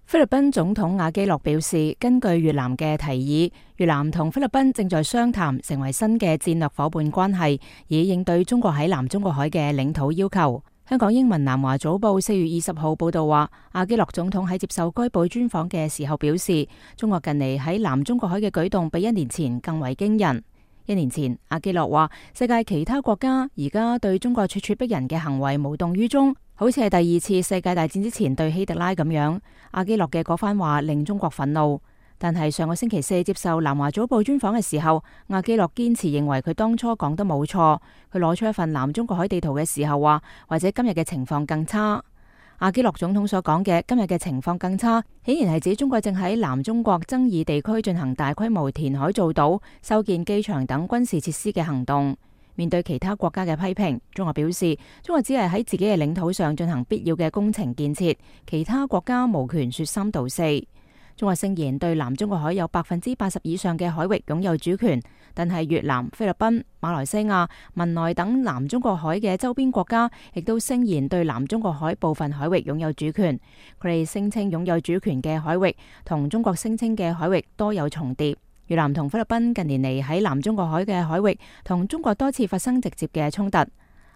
菲律賓總統阿基諾表示，根據越南嘅提議，越南同菲律賓正在商談成為新嘅戰略夥伴關係，以應對中國喺南中國海嘅領土要求。香港英文南華早報4月20號報道話，阿基諾總統喺接受該報專訪嘅時候表示，中國近嚟喺南中國海嘅舉動比1年前更為驚人。1年前，阿基諾話世界其他國家而家對中國咄咄逼人嘅行為無動於衷，好似係第二次世界大戰之前對希特拉咁樣。阿基諾嘅嗰番話令中國憤怒，但係上個星期四接受南華早報專訪嘅時候，阿基諾堅持認為佢當初講得冇錯。佢攞出一份南中國海地圖嘅時候話，或者今日嘅情況更差。阿基諾總統所講嘅今日嘅情況更差，顯然係指中國正喺南中國爭議地區進行大規模填海造島、修建機場等軍事設施嘅行動。面對其他國家嘅批評，中國表示，中國只係喺自己嘅領土上進行必要嘅工程建設，其他國家無權說三道四。中國聲言對南中國海有80%以上嘅海域擁有主權，但係越南、菲律賓、馬來西亞、文萊等南中國海嘅周邊國家亦都聲言對南中國海部分海域擁有主權。佢哋聲稱擁有主權嘅海域同中國聲稱嘅海域多有重疊。越南同菲律賓近年嚟喺南中國海嘅海域同中國多次發生直接嘅衝突。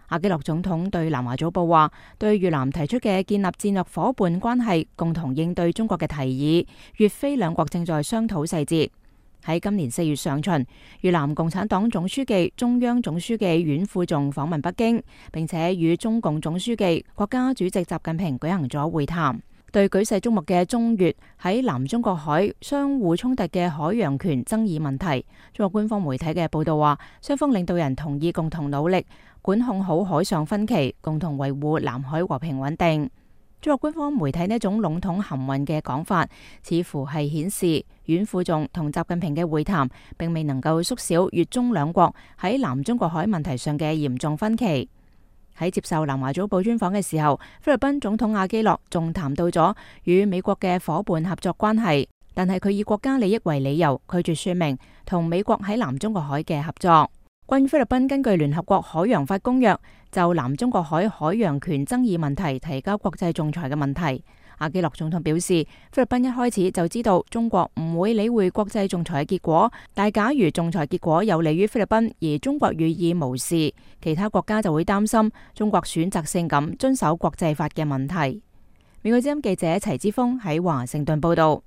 阿基諾總統對南華早報話，對越南提出嘅建立戰略夥伴關係、共同應對中國嘅提議，越菲兩國正在商討細節。喺今年4月上旬，越南共產黨總書記、中央總書記阮富仲訪問北京，並且與中共總書記、國家主席習近平舉行咗會談。對舉世矚目嘅中越喺南中國海相互衝突嘅海洋權爭議問題，中國官方媒體嘅報道話，雙方領導人同意共同努力管控好海上分歧，共同維護南海和平穩定。中國官方媒體呢一種籠統含混嘅講法，似乎係顯示阮富仲同習近平嘅會談並未能夠縮小越中兩國喺南中國海問題上嘅嚴重分歧。喺接受南華早報專訪嘅時候，菲律賓總統阿基諾仲談到咗與美國嘅夥伴合作關係，但係佢以國家利益為理由，拒絕說明同美國喺南中國海嘅合作。關於菲律賓根據聯合國海洋法公約就南中國海海洋權爭議問題提交國際仲裁嘅問題，阿基諾總統表示，菲律賓一開始就知道中國唔會理會國際仲裁嘅結果，但係假如仲裁結果有利於菲律賓，而中國予以無視，其他國家就會擔心中國選擇性咁遵守國際法嘅問題。美國之音記者齊之鋒喺華盛頓報道。